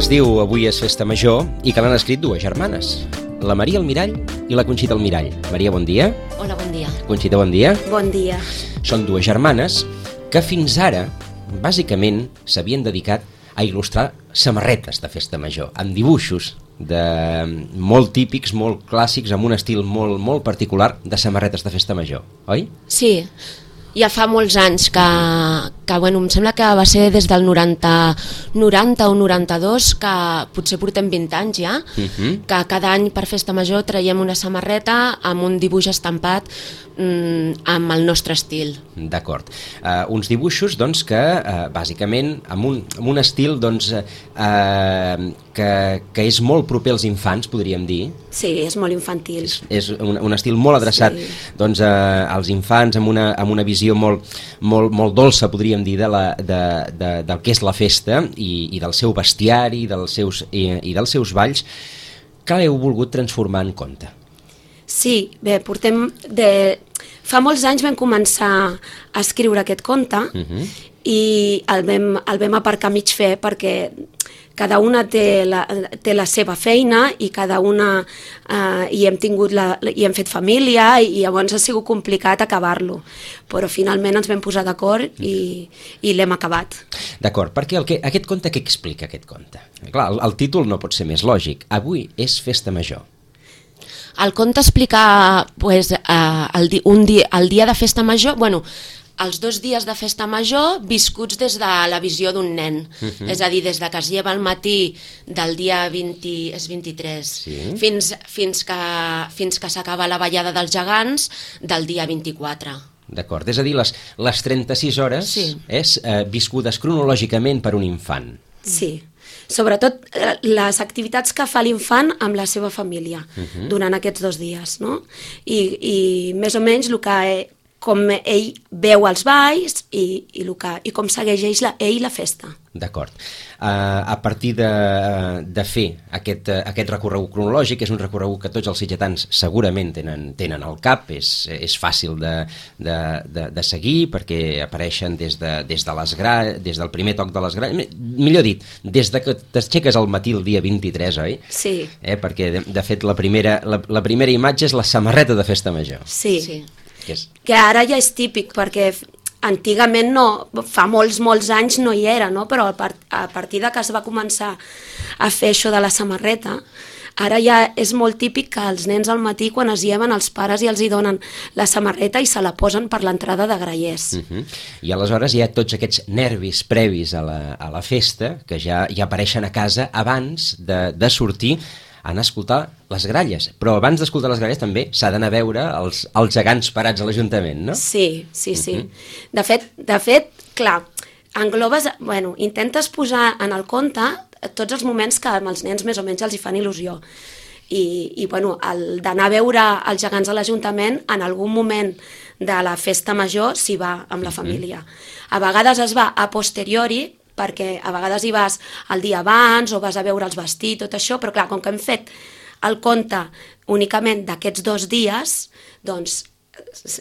es diu Avui és festa major i que l'han escrit dues germanes, la Maria Almirall i la Conxita Almirall. Maria, bon dia. Hola, bon dia. Conxita, bon dia. Bon dia. Són dues germanes que fins ara, bàsicament, s'havien dedicat a il·lustrar samarretes de festa major, amb dibuixos molt típics, molt clàssics, amb un estil molt particular de samarretes de festa major, oi? Sí, ja fa molts anys que bueno, em sembla que va ser des del 90 o 92, que potser portem 20 anys ja, que cada any per festa major traiem una samarreta amb un dibuix estampat amb el nostre estil. D'acord. Uns dibuixos doncs, que bàsicament amb un estil doncs, que és molt proper als infants, podríem dir. Sí, és molt infantil. És un estil molt adreçat doncs, als infants, amb una visió molt dolça, podríem dir, del que és la festa i del seu bestiari i dels seus balls, que l'heu volgut transformar en conte. Sí, bé, fa molts anys vam començar a escriure aquest conte i el vam aparcar mig fer perquè cada una té la seva feina i cada una hi hem fet família i llavors ha sigut complicat acabar-lo, però finalment ens vam posar d'acord i l'hem acabat. D'acord, perquè aquest conte, què explica aquest conte? Clar, el títol no pot ser més lògic. Avui és festa major. El conte explica pues, el dia de festa major, bueno, els 2 dies de festa major viscuts des de la visió d'un nen, és a dir, des de que es lleva al matí del dia 23 fins que s'acaba la ballada dels gegants del dia 24. D'acord, és a dir, les 36 hores és viscudes cronològicament per un infant. Sí, sobretot les activitats que fa l'infant amb la seva família durant aquests 2 dies, no? I més o menys com ell veu els balls i com segueix ell la festa. D'acord. A partir de fer aquest recorregut cronològic, és un recorregut que tots els sitgetans segurament tenen al cap, és fàcil de seguir perquè apareixen des del primer toc de les gralles, millor dit, des de que t'aixeques al matí el dia 23, oi? Sí. Perquè de fet la primera imatge és la samarreta de festa major. Sí. Que ara ja és típic, perquè antigament fa molts anys no hi era, no? Però a partir de que es va començar a fer això de la samarreta, ara ja és molt típic que els nens al matí, quan es lleven, els pares i els hi donen la samarreta i se la posen per l'entrada de grallers. I aleshores hi ha tots aquests nervis previs a la festa, que ja apareixen a casa abans de sortir a anar a escoltar les gralles. Però abans d'escoltar les gralles també s'ha d'anar a veure els gegants parats a l'Ajuntament, no? Sí. De fet, clar, englobes, intentes posar en el conte tots els moments que amb els nens més o menys els hi fan il·lusió. I d'anar a veure els gegants a l'Ajuntament, en algun moment de la festa major s'hi va amb la família. A vegades es va a posteriori, perquè a vegades hi vas el dia abans o vas a veure els vestits, tot això, però clar, com que hem fet el conte únicament d'aquests 2 dies, doncs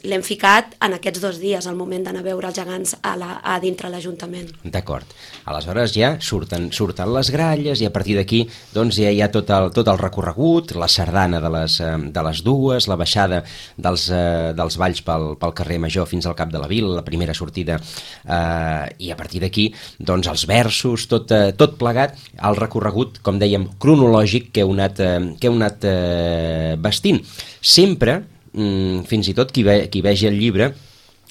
l'hem ficat en aquests 2 dies, al moment d'anar a veure els gegants a dintre l'Ajuntament. D'acord. Aleshores ja surten les gralles i a partir d'aquí doncs ja hi ha tot el recorregut, la sardana de les dues, la baixada dels balls pel carrer Major fins al cap de la vila, la primera sortida, i a partir d'aquí doncs els versos, tot plegat, el recorregut, com dèiem, cronològic que heu anat vestint. Sempre fins i tot qui vegi el llibre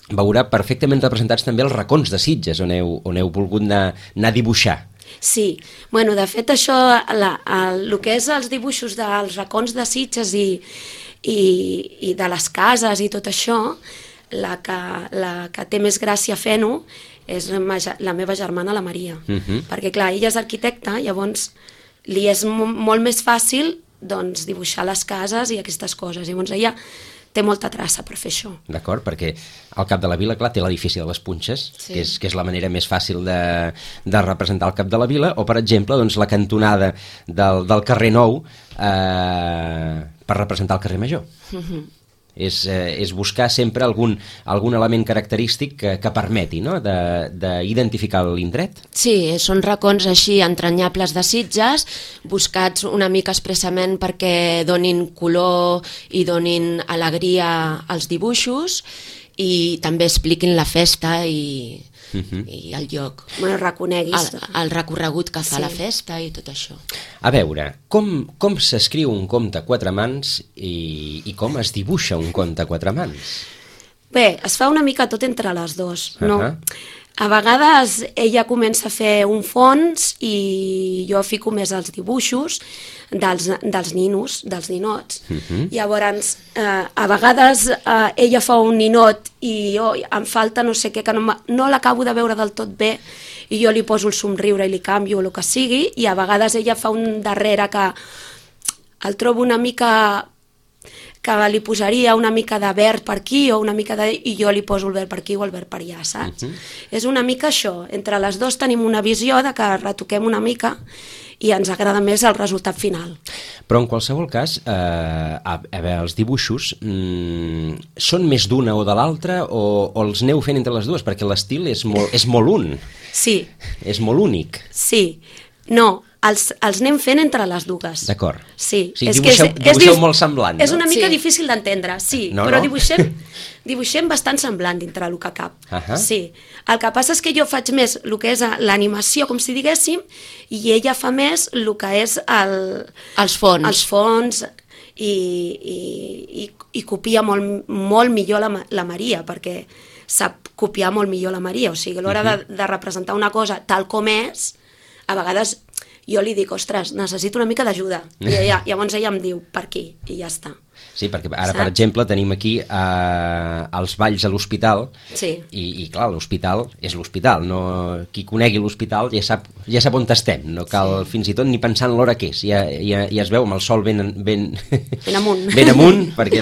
veurà perfectament representats també els racons de Sitges on heu volgut anar a dibuixar. Sí, de fet això, el que és els dibuixos dels racons de Sitges i de les cases i tot això, la que té més gràcia fent-ho és la meva germana, la Maria, perquè clar, ella és arquitecta, llavors li és molt més fàcil doncs dibuixar les cases i aquestes coses, llavors ella té molta traça per fer això. D'acord, perquè al cap de la vila, clar, té l'edifici de les Punxes, que és la manera més fàcil de representar el cap de la vila, o per exemple doncs, la cantonada del carrer Nou per representar el carrer Major. És buscar sempre algun element característic que permeti, no?, d'identificar l'indret. Sí, són racons així entranyables de Sitges, buscats una mica expressament perquè donin color i donin alegria als dibuixos i també expliquin la festa i el lloc. Bueno, reconeguis. El recorregut que fa la festa i tot això. A veure, com s'escriu un conte a quatre mans i com es dibuixa un conte a quatre mans? Bé, es fa una mica tot entre les dues, no? A vegades ella comença a fer un fons i jo fico més els dibuixos dels ninos, dels ninots. Llavors, a vegades ella fa un ninot i jo em falta no sé què, que no l'acabo de veure del tot bé i jo li poso el somriure i li canvio el que sigui, i a vegades ella fa un darrere que el trobo una mica que li posaria una mica de verd per aquí o una mica i jo li poso el verd per aquí o el verd per allà, saps? És una mica això, entre les dues tenim una visió de que retoquem una mica i ens agrada més el resultat final. Però en qualsevol cas, a veure, els dibuixos són més d'una o de l'altra o els aneu fent entre les dues? Perquè l'estil és molt un. Sí. És molt únic. Sí. No, els anem fent entre les dues. D'acord. Sí. O sigui, dibuixeu molt semblant, no? És una mica difícil d'entendre, sí, però dibuixem bastant semblant dintre el que cap. Sí. El que passa és que jo faig més el que és l'animació, com si diguéssim, i ella fa més el que és els fons. Els fons i copia molt millor la Maria, perquè sap copiar molt millor la Maria. O sigui, a l'hora de representar una cosa tal com és, a vegades jo li dic, ostres, necessito una mica d'ajuda. I llavors ella em diu, per aquí, i ja està. Sí, perquè ara, per exemple, tenim aquí els balls a l'hospital, i clar, l'hospital és l'hospital, no? Qui conegui l'hospital ja sap on estem, no cal fins i tot ni pensar en l'hora que és, ja es veu amb el sol ben amunt, perquè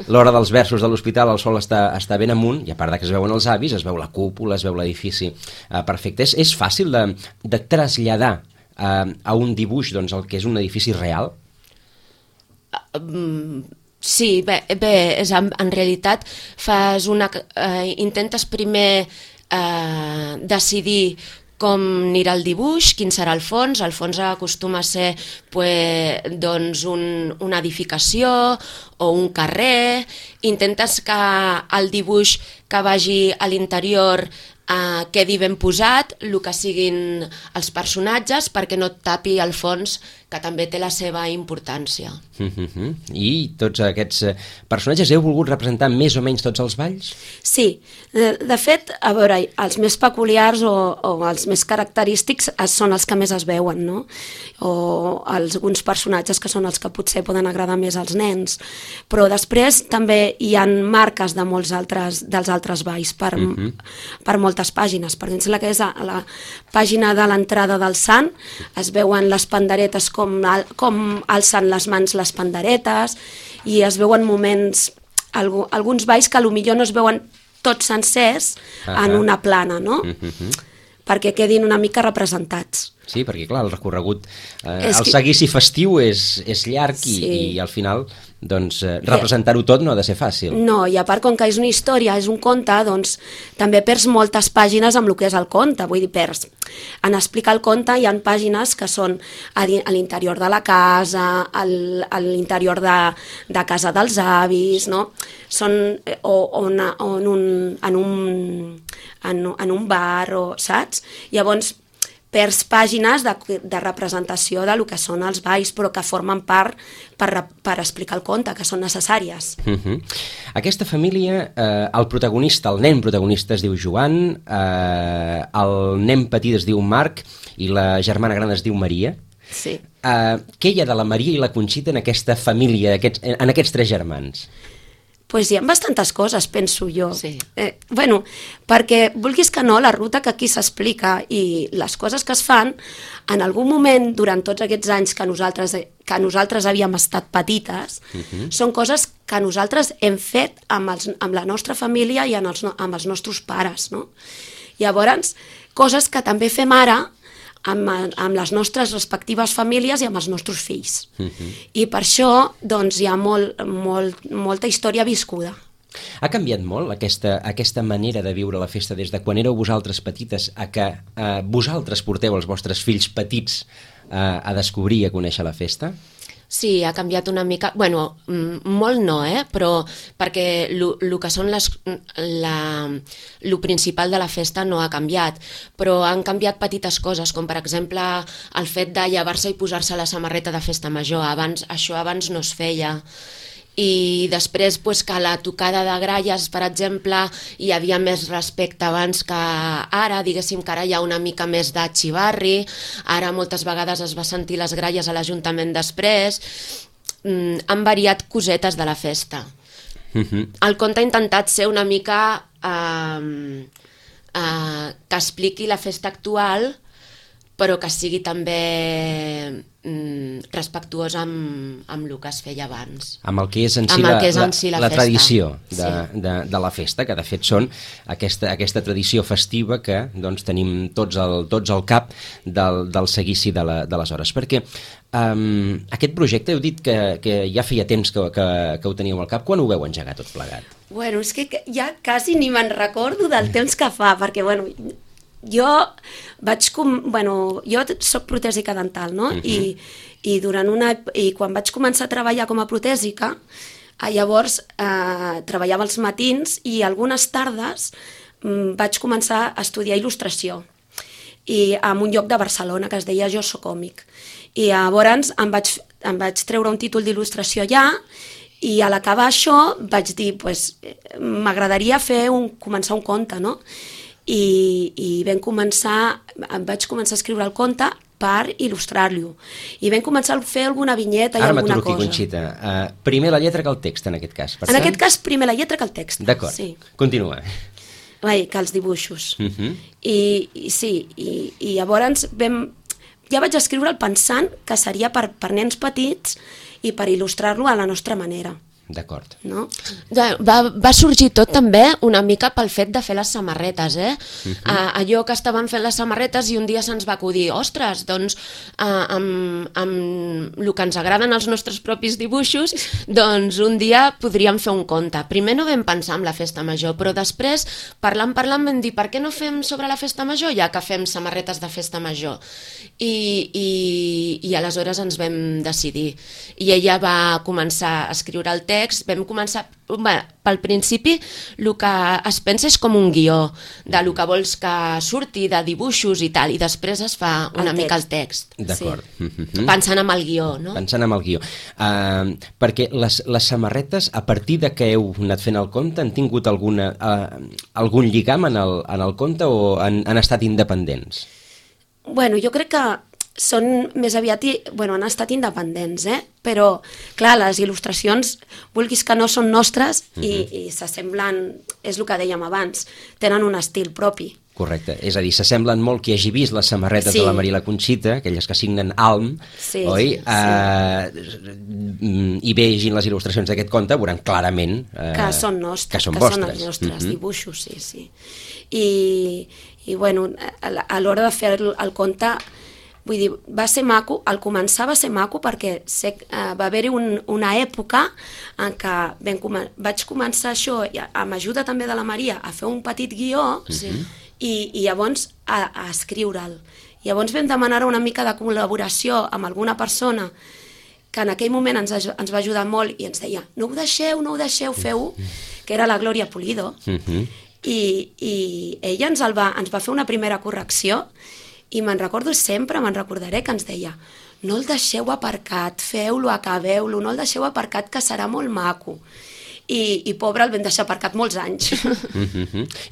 l'hora dels versos de l'hospital el sol està ben amunt, i a part que es veuen els avis, es veu la cúpula, es veu l'edifici perfecte. És fàcil de traslladar a un dibuix el que és un edifici real? Sí, bé, en realitat intentes primer decidir com anirà el dibuix, quin serà el fons. El fons acostuma a ser una edificació o un carrer. Intentes que el dibuix que vagi a l'interior quedi ben posat, el que siguin els personatges, perquè no et tapi el fons, que també té la seva importància. I tots aquests personatges heu volgut representar més o menys tots els balls? Sí, de fet, a veure, els més peculiars o els més característics són els que més es veuen, no? O alguns personatges que són els que potser poden agradar més als nens, però després també hi ha marques de molts dels altres balls per moltes pàgines. Per exemple, la que és la pàgina de l'entrada del Sant, es veuen les panderetes com alcen les mans les panderetes, i es veuen moments, alguns balls que potser no es veuen tots sencers en una plana, no? Perquè quedin una mica representats. Sí, perquè clar, el recorregut, el seguici festiu és llarg i al final representar-ho tot no ha de ser fàcil. No, i a part, com que és una història, és un conte, doncs també perds moltes pàgines amb el que és el conte. Vull dir, en explicar el conte hi ha pàgines que són a l'interior de la casa, a l'interior de casa dels avis, no? Són en un bar, saps? Llavors, perds pàgines de representació del que són els balls, però que formen part per explicar el conte, que són necessàries. Aquesta família, el protagonista, el nen protagonista es diu Joan, el nen petit es diu Marc i la germana gran es diu Maria. Sí. Què hi ha de la Maria i la Conxita en aquesta família, en aquests tres germans? Doncs hi ha bastantes coses, penso jo. Sí. Bueno, perquè, vulguis que no, la ruta que aquí s'explica i les coses que es fan, en algun moment, durant tots aquests anys que nosaltres havíem estat petites, són coses que nosaltres hem fet amb la nostra família i amb els nostres pares, no? Llavors, coses que també fem ara amb les nostres respectives famílies i amb els nostres fills. I per això doncs, hi ha molta història viscuda. Ha canviat molt aquesta manera de viure la festa des de quan éreu vosaltres petites a que vosaltres porteu els vostres fills petits a descobrir i a conèixer la festa? Sí, ha canviat una mica, bueno, molt no, però perquè el que són el principal de la festa no ha canviat, però han canviat petites coses, com per exemple el fet de llevar-se i posar-se la samarreta de festa major. Això abans no es feia. I després que la tocada de gralles, per exemple, hi havia més respecte abans que ara, diguéssim que ara hi ha una mica més de xivarri, ara moltes vegades es va sentir les gralles a l'Ajuntament després, han variat cosetes de la festa. El conte ha intentat ser una mica que expliqui la festa actual, però que sigui també respectuós amb el que es feia abans. Amb el que és en si la tradició de la festa, que de fet són aquesta tradició festiva que doncs, tenim tots al cap del seguici de les hores. Perquè aquest projecte, heu dit que ja feia temps que ho teníeu al cap. Quan ho veu engegar tot plegat? Bueno, és que ja quasi ni me'n recordo del temps que fa, perquè bueno, jo soc protèsica dental, no? I quan vaig començar a treballar com a protèsica, llavors treballava els matins i algunes tardes vaig començar a estudiar il·lustració en un lloc de Barcelona que es deia Jo Soc Còmic. I llavors em vaig treure un títol d'il·lustració allà i a l'acabar això vaig dir, m'agradaria començar un conte, no? I vaig començar a escriure el conte per il·lustrar-lo. I vam començar a fer alguna vinyeta i alguna cosa. Ara m'aturo aquí, Conxita. Primer la lletra que el text, en aquest cas. En aquest cas, primer la lletra que el text. D'acord, continua. Que els dibuixos. I llavors ja vaig escriure'l pensant que seria per nens petits i per il·lustrar-lo a la nostra manera. D'acord. No? Va sorgir tot també una mica pel fet de fer les samarretes, allò que estaven fent les samarretes i un dia se'ns va acudir, ostres, doncs amb el que ens agraden els nostres propis dibuixos, doncs un dia podríem fer un conte. Primer no vam pensar en la festa major, però després, parlant vam dir, per què no fem sobre la festa major, ja que fem samarretes de festa major? I aleshores ens vam decidir. I ella va començar a escriure el text, vam començar, pel principi el que es pensa és com un guió del que vols que surti, de dibuixos i tal, i després es fa una mica el text. D'acord. Pensant en el guió, no? Pensant en el guió. Perquè les samarretes, a partir de que heu anat fent el conte, han tingut algun lligam en el conte o han estat independents? Bueno, jo crec que són més aviat, han estat independents, però, clar, les il·lustracions, vulguis que no, són nostres i s'assemblen, és el que dèiem abans, tenen un estil propi. Correcte, és a dir, s'assemblen molt qui hagi vist les samarretes de la Maria i la Conxita, aquelles que signen Alm, oi? I vegin les il·lustracions d'aquest conte, veuran clarament que són nostres, que són vostres. Són els nostres dibuixos, sí. I bueno, a l'hora de fer el conte, vull dir, va ser maco, al començar va ser maco perquè va haver-hi una època en què vaig començar això, amb ajuda també de la Maria, a fer un petit guió i llavors a escriure'l. Llavors vam demanar una mica de col·laboració amb alguna persona que en aquell moment ens va ajudar molt i ens deia, no ho deixeu, feu-ho, que era la Glòria Pulido. I ella ens va fer una primera correcció i me'n recordaré que ens deia, no el deixeu aparcat, feu-lo, acabeu-lo, no el deixeu aparcat que serà molt maco. I pobre, el vam deixar aparcat molts anys.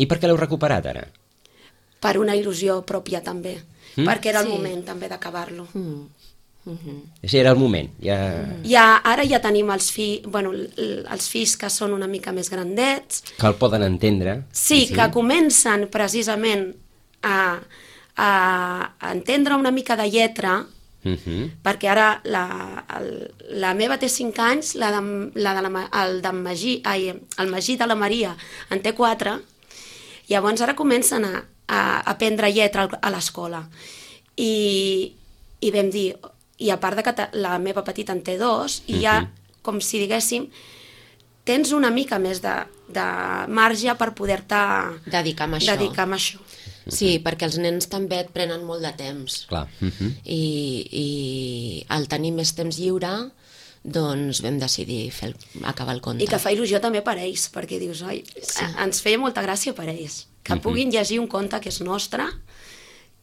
I per què l'heu recuperat ara? Per una il·lusió pròpia també, perquè era el moment també d'acabar-lo. Això era el moment. Ara ja tenim els fills que són una mica més grandets. Que el poden entendre. Sí, que comencen precisament a entendre una mica de lletra, perquè ara la meva té 5 anys, el Magí de la Maria en té 4, llavors ara comencen a aprendre lletra a l'escola. i vam dir, i a part de que la meva petita en té 2, i ja, com si diguéssim, tens una mica més de marge per poder-te dedicar a això. Sí, perquè els nens també et prenen molt de temps. Clar. I al tenir més temps lliure, doncs vam decidir acabar el conte. I que fa il·lusió també per ells, perquè dius, oi, ens feia molta gràcia per ells, que puguin llegir un conte que és nostre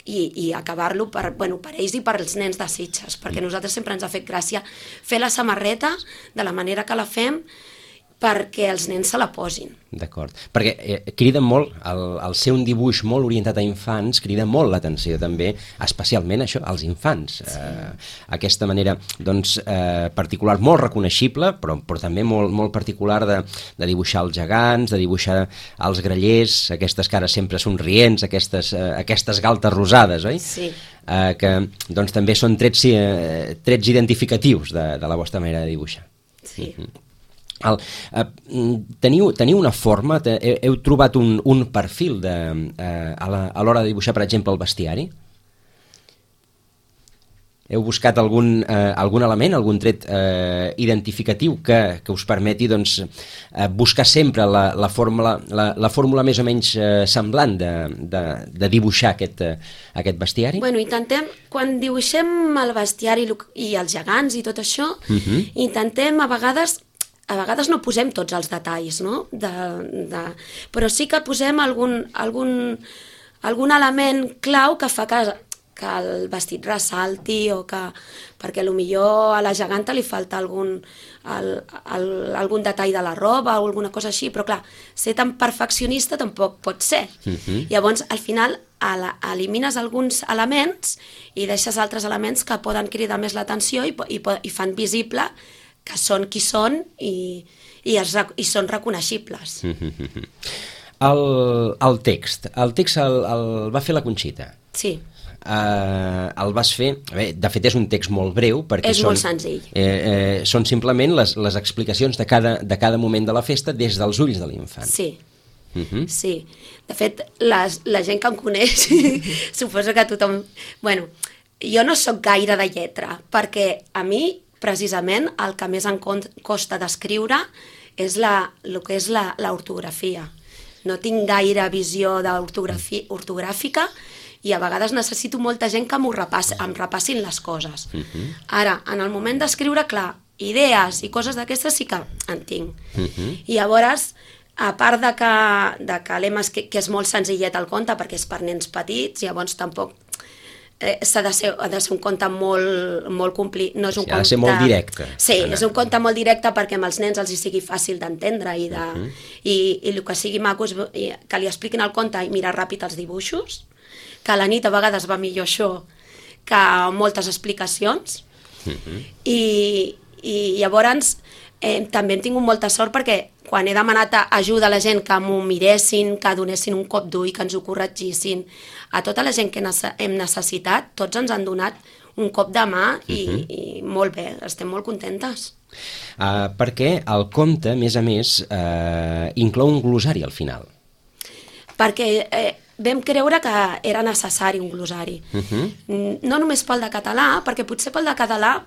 i acabar-lo per ells i per als nens de Sitges, perquè a nosaltres sempre ens ha fet gràcia fer la samarreta de la manera que la fem, perquè els nens se la posin. D'acord. Perquè crida molt, el ser un dibuix molt orientat a infants, crida molt l'atenció també, especialment això, als infants. Aquesta manera, doncs, particular, molt reconeixible, però també molt particular de dibuixar els gegants, de dibuixar els grallers, aquestes cares sempre somrients, aquestes galtes rosades, oi? Sí. Que doncs també són trets identificatius de la vostra manera de dibuixar. Sí. Teniu una forma, heu trobat un perfil a l'hora de dibuixar, per exemple, el bestiari? Heu buscat algun element, algun tret identificatiu que us permeti buscar sempre la fórmula més o menys semblant de dibuixar aquest bestiari? Bueno, intentem, quan dibuixem el bestiari i els gegants i tot això, intentem a vegades no posem tots els detalls, no? Però sí que posem algun element clau que fa que el vestit ressalti o perquè potser a la geganta li falta algun detall de la roba o alguna cosa així, però clar, ser tan perfeccionista tampoc pot ser. Llavors, al final, elimines alguns elements i deixes altres elements que poden cridar més l'atenció i fan visible que són qui són i són reconeixibles. El text el va fer la Conxita. Sí. El vas fer... De fet, és un text molt breu, perquè és molt senzill. Són simplement les explicacions de cada moment de la festa des dels ulls de l'infant. Sí. Sí. De fet, la gent que em coneix suposo que tothom... Bueno, jo no sóc gaire de lletra, perquè a mi precisament el que més em costa d'escriure és el que és l'ortografia. No tinc gaire visió ortogràfica i a vegades necessito molta gent que em repassin les coses. Ara, en el moment d'escriure, clar, idees i coses d'aquestes sí que en tinc. I llavors, a part de que que és molt senzillet el conte perquè és per nens petits, llavors tampoc ha de ser un conte molt complicat. No és un conte... Ha de ser molt directe. Sí, és un conte molt directe perquè amb els nens els hi sigui fàcil d'entendre i el que sigui maco és que li expliquin el conte i mirar ràpid els dibuixos, que a la nit a vegades va millor això que moltes explicacions. I llavors també hem tingut molta sort perquè quan he demanat ajuda a la gent que m'ho miressin, que donessin un cop d'ull, que ens ho corregissin, a tota la gent que hem necessitat, tots ens han donat un cop de mà i molt bé, estem molt contentes. Perquè el conte, a més, inclou un glossari al final. Perquè vam creure que era necessari un glossari. No només pel de català, perquè potser pel de català,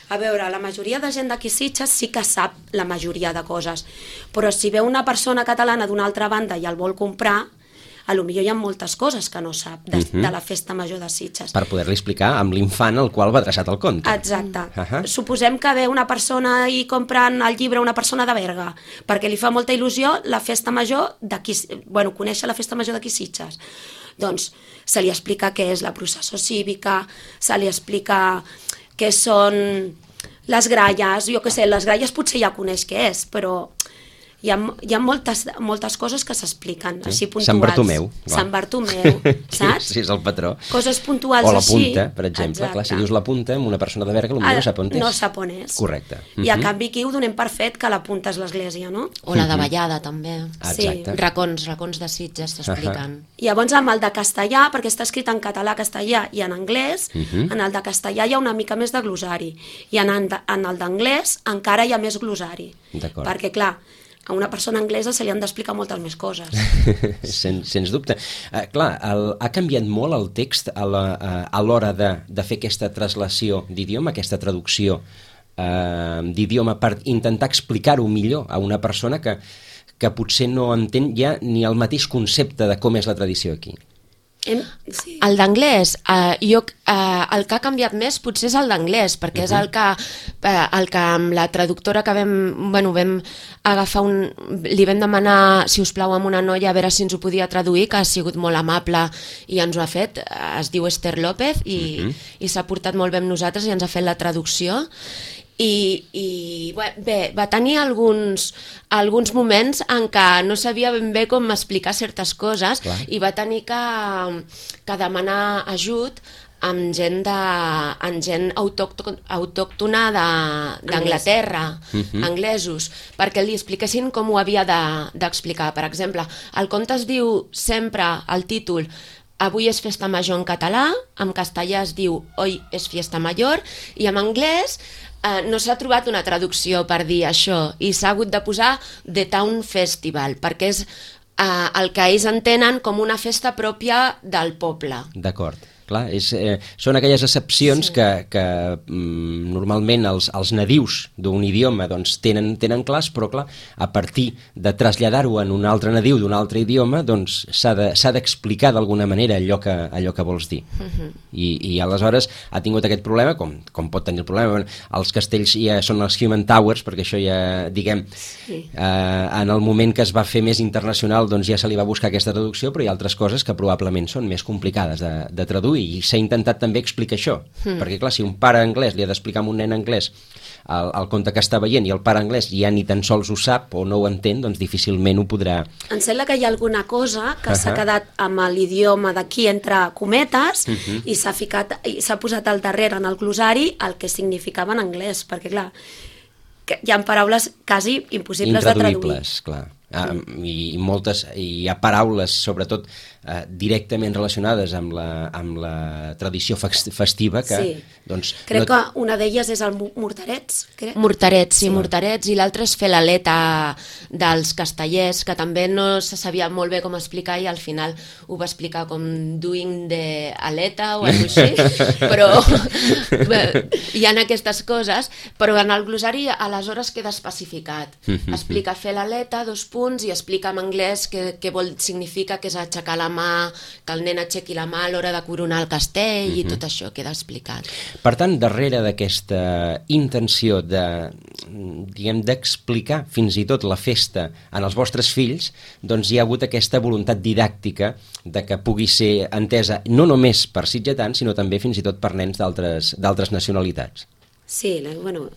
a veure, la majoria de gent d'aquí Sitges sí que sap la majoria de coses, però si ve una persona catalana d'una altra banda i el vol comprar, potser hi ha moltes coses que no sap de la festa major de Sitges. Per poder-li explicar amb l'infant al qual va adreçat el conte. Exacte. Suposem que ve una persona i compren el llibre una persona de Berga, perquè li fa molta il·lusió la festa major conèixer la festa major d'aquí Sitges. Doncs se li explica què és la processó cívica, se li explica què són les gralles, jo què sé, les gralles potser ja coneix què és, però hi ha moltes coses que s'expliquen, així puntuals. Sant Bartomeu. Sant Bartomeu, saps? Sí, és el patró. Coses puntuals així. O la punta, per exemple. Clar, si dius la punta, amb una persona de Berga, potser no sap on és. No sap on és. Correcte. I a canvi aquí ho donem per fet que la punta és l'església, no? O la de Vallada, també. Exacte. Racons de Sitges s'expliquen. Llavors, amb el de castellà, perquè està escrit en català, castellà i en anglès, en el de castellà hi ha una mica més de glossari. I en el d'anglès encara hi ha més glossari. D'acord. Perquè, clar, a una persona anglesa se li han d'explicar moltes més coses. Sens dubte. Clar, ha canviat molt el text a l'hora de fer aquesta translació d'idioma, aquesta traducció d'idioma per intentar explicar-ho millor a una persona que potser no entén ja ni el mateix concepte de com és la tradició aquí. Sí. El d'anglès, el que ha canviat més potser és el d'anglès, perquè és el que amb la traductora que vam agafar li vam demanar, si us plau, a una noia a veure si ens ho podia traduir, que ha sigut molt amable i ens ho ha fet, es diu Esther López i s'ha portat molt bé amb nosaltres i ens ha fet la traducció. I bé, va tenir alguns moments en què no sabia ben bé com explicar certes coses. Clar. I va tenir que demanar ajut amb gent autòctona d'Anglaterra, anglesos, perquè li expliquessin com ho havia d'explicar. Per exemple, el conte es diu sempre, el títol, Avui és festa major en català, en castellà es diu Hoy es fiesta mayor, i en anglès no s'ha trobat una traducció per dir això i s'ha hagut de posar The Town Festival, perquè és el que ells entenen com una festa pròpia del poble. D'acord. Clar, són aquelles excepcions que normalment els nadius d'un idioma doncs, tenen clars, però clar, a partir de traslladar-ho en un altre nadiu d'un altre idioma doncs, s'ha d'explicar d'alguna manera allò que vols dir. I aleshores ha tingut aquest problema, com pot tenir el problema. Els castells ja són els Human Towers, perquè això ja, diguem, en el moment que es va fer més internacional doncs ja se li va buscar aquesta traducció, però hi ha altres coses que probablement són més complicades de traduir, i s'ha intentat també explicar això, perquè clar, si un pare anglès li ha d'explicar a un nen anglès el conte que està veient i el pare anglès ja ni tan sols ho sap o no ho entén, doncs difícilment ho podrà... Em sembla que hi ha alguna cosa que s'ha quedat amb l'idioma d'aquí entre cometes i s'ha posat al darrere en el glosari el que significava en anglès, perquè clar, hi ha paraules quasi impossibles de traduir. Intraduïbles, clar. Hi ha paraules, sobretot directament relacionades amb la tradició festiva que... Sí. Doncs, crec que una d'elles és el morterets, crec. Morterets, i l'altre és fer l'aleta dels castellers, que també no se sabia molt bé com explicar i al final ho va explicar com doing the aleta o alguna cosa així, però hi ha aquestes coses, però en el glosari aleshores queda especificat. Explica fer l'aleta, 2 punts, i explica en anglès què significa, que és aixecar la mà, que el nen aixequi la mà a l'hora de coronar el castell, i tot això queda explicat. Per tant, darrere d'aquesta intenció d'explicar fins i tot la festa en els vostres fills, doncs hi ha hagut aquesta voluntat didàctica de que pugui ser entesa no només per sitgetans, sinó també fins i tot per nens d'altres nacionalitats. Sí, bueno,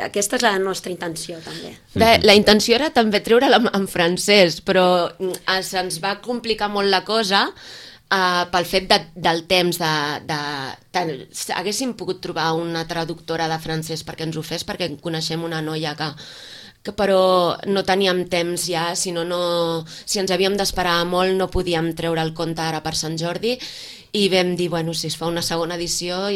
aquesta és la nostra intenció també. La intenció era també treure-la en francès, però se'ns va complicar molt la cosa pel fet del temps haguéssim pogut trobar una traductora de francès perquè ens ho fes, perquè coneixem una noia que però no teníem temps ja, si ens havíem d'esperar molt no podíem treure el conte ara per Sant Jordi, i vam dir, bueno, si es fa una segona edició,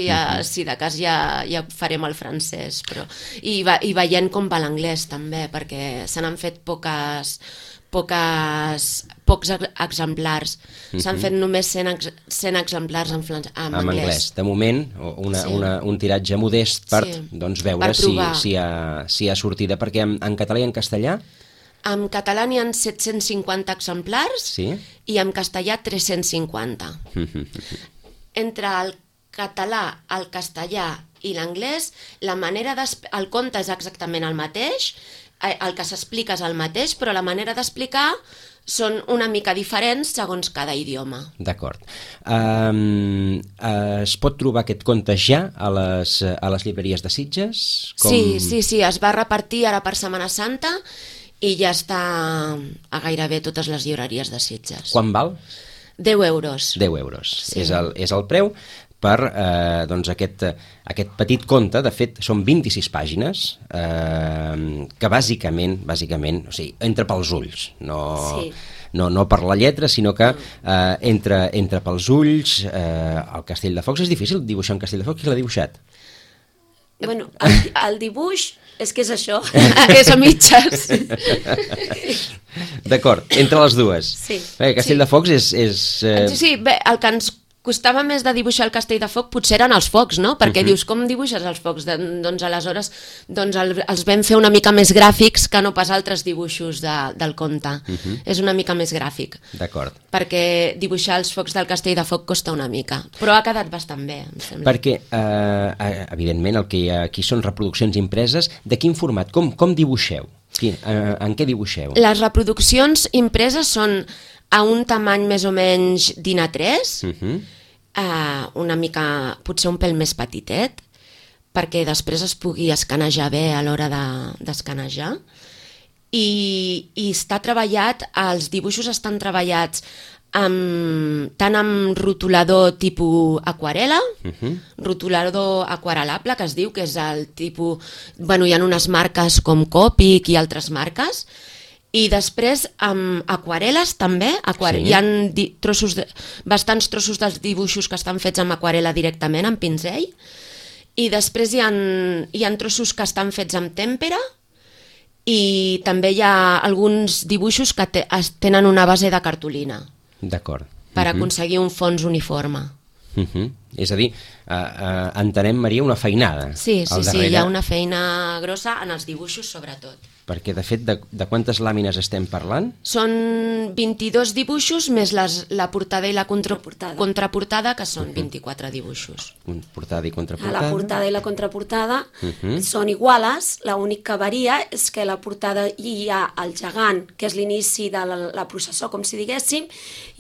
si de cas ja farem el francès, però i veient com va l'anglès també, perquè se n'han fet pocs exemplars. S'han fet només 100 exemplars en anglès. De moment, un tiratge modest per veure si hi ha sortida, perquè en català i en castellà? En català n'hi ha 750 exemplars i en castellà 350. Entre el català, el castellà i l'anglès, el conte és exactament el mateix, el que s'explica és el mateix, però la manera d'explicar són una mica diferents segons cada idioma. D'acord. Es pot trobar aquest conte ja a les llibreries de Sitges? Sí, es va repartir ara per Setmana Santa i ja està a gairebé totes les llibreries de Sitges. Quan val? 10 euros. 10 euros. Sí. És el preu per aquest petit conte. De fet, són 26 pàgines que bàsicament, o sigui, entra pels ulls, no per la lletra, sinó que entra pels ulls. El Castell de Focs és difícil dibuixar un Castell de Focs. Qui l'ha dibuixat? Bueno, el dibuix És que és això. És a mitges. D'acord, entre les dues. Sí. Castelldefels és... Sí, bé, el que ens costava més de dibuixar el Castell de Foc potser eren els focs, no? Perquè dius, com dibuixes els focs? Doncs aleshores els vam fer una mica més gràfics que no pas altres dibuixos del conte. És una mica més gràfic. D'acord. Perquè dibuixar els focs del Castell de Foc costa una mica. Però ha quedat bastant bé, em sembla. Perquè, evidentment, el que hi ha aquí són reproduccions impreses. De quin format? Com dibuixeu? En què dibuixeu? Les reproduccions impreses són a un tamany més o menys d'A3, una mica, potser un pèl més petitet, perquè després es pugui escanejar bé a l'hora d'escanejar. I està treballat, els dibuixos estan treballats tant amb rotulador tipus aquarela, rotulador aquarelable, que es diu, que és el tipus... Bueno, hi ha unes marques com Copic i altres marques, i després amb aquarel·les també, hi ha bastants trossos dels dibuixos que estan fets amb aquarel·la directament, amb pinzell, i després hi ha trossos que estan fets amb tèmpera, i també hi ha alguns dibuixos que tenen una base de cartolina. D'acord. Per aconseguir un fons uniforme. És a dir, entenem, Maria, una feinada. Sí, hi ha una feina grossa en els dibuixos sobretot. Perquè, de fet, de quantes làmines estem parlant? Són 22 dibuixos més la portada i la contraportada, que són 24 dibuixos. Portada i contraportada. La portada i la contraportada són iguales, l'únic que varia és que la portada hi ha el gegant, que és l'inici de la processó, com si diguéssim,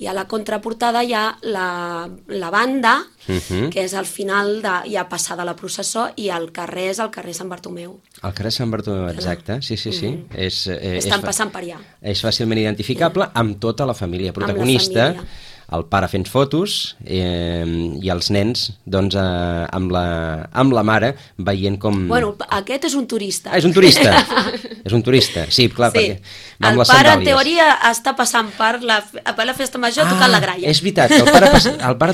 i a la contraportada hi ha la banda, que és al final ja passada la processó, i el carrer és el carrer Sant Bartomeu. El carrer Sant Bartomeu, exacte, sí. Estan passant per allà. És fàcilment identificable amb tota la família protagonista, el pare fent fotos i els nens doncs, amb la mare veient com... Bueno, aquest és un turista. És un turista, sí, clar, perquè va amb les sandàlies. El pare, en teoria, està passant per la festa major tocant la gralla. És veritat, el pare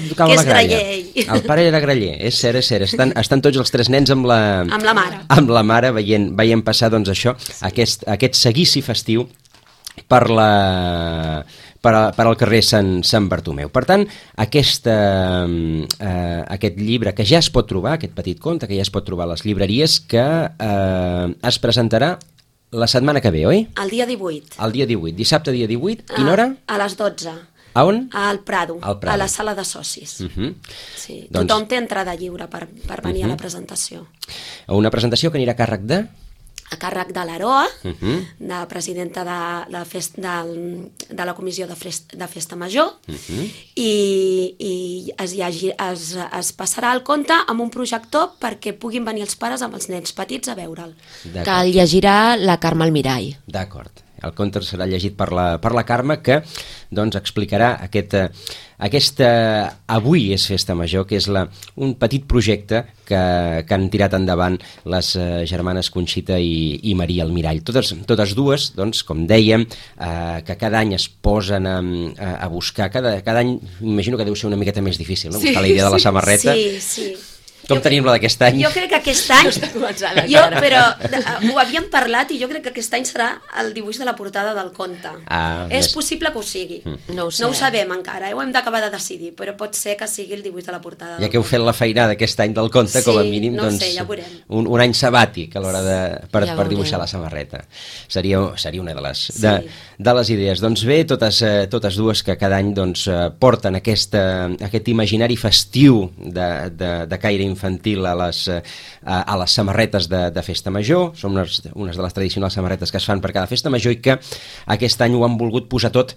tocava la gralla. El pare era graller, és cert. Estan tots els tres nens amb la mare. Amb la mare veient passar doncs, això, aquest seguici festiu per al carrer Sant Bartomeu. Per tant, aquest llibre que ja es pot trobar, aquest petit conte que ja es pot trobar a les llibreries, que es presentarà la setmana que ve, oi? El dia 18. El dia 18, dissabte dia 18, quina hora? A les 12. A on? Al Prado, a la sala de socis. Sí. Tothom té entrada lliure per venir a la presentació. Una presentació que anirà a càrrec de... A càrrec de l'Aroa, de presidenta de la comissió de Festa Major, i es passarà el conte amb un projector perquè puguin venir els pares amb els nens petits a veure'l. Que el llegirà la Carme Almirall. D'acord. El conte serà llegit per la Carme, que doncs, explicarà aquesta Avui és Festa Major, que és un petit projecte que han tirat endavant les germanes Conxita i Maria Almirall. Totes dues, doncs, com dèiem, que cada any es posen a buscar, cada any imagino que deu ser una miqueta més difícil, no? Buscar la idea de la samarreta. Sí. Com tenim la d'aquest any? Jo crec que aquest any... Però ho havíem parlat i jo crec que aquest any serà el dibuix de la portada del conte. És possible que ho sigui. No ho sabem encara, ho hem d'acabar de decidir, però pot ser que sigui el dibuix de la portada. Ja que heu fet la feinada aquest any del conte, com a mínim, doncs, ja veurem. Un any sabàtic a l'hora per dibuixar la samarreta. Seria una de les idees. Doncs bé, totes dues que cada any porten aquest imaginari festiu de caire infantil a les samarretes de Festa Major. Són unes de les tradicionals samarretes que es fan per cada Festa Major i que aquest any ho han volgut posar tot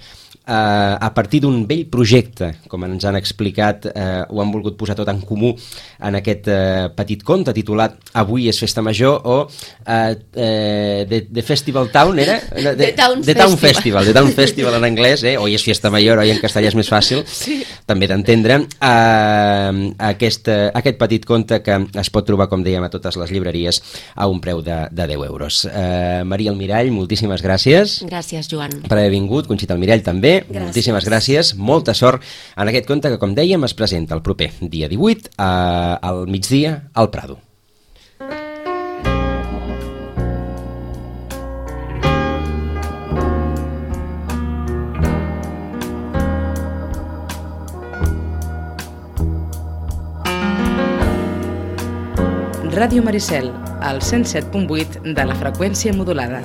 a partir d'un vell projecte, com ens han explicat, ho han volgut posar tot en comú en aquest petit conte titulat Avui és Festa Major, o The Festival Town, era? The Town Festival en anglès, Hoy és Fiesta Mayor, oi en castellà és més fàcil, també d'entendre. Aquest petit conte que es pot trobar, com dèiem, a totes les llibreries a un preu de 10 euros. Maria Almirall, moltíssimes gràcies. Gràcies, Joan. Per haver vingut. Conxita Almirall també. Moltíssimes gràcies. Molta sort en aquest conte que, com dèiem, es presenta el proper dia 18 al migdia al Prado. Ràdio Maricel, al 107.8 de la freqüència modulada.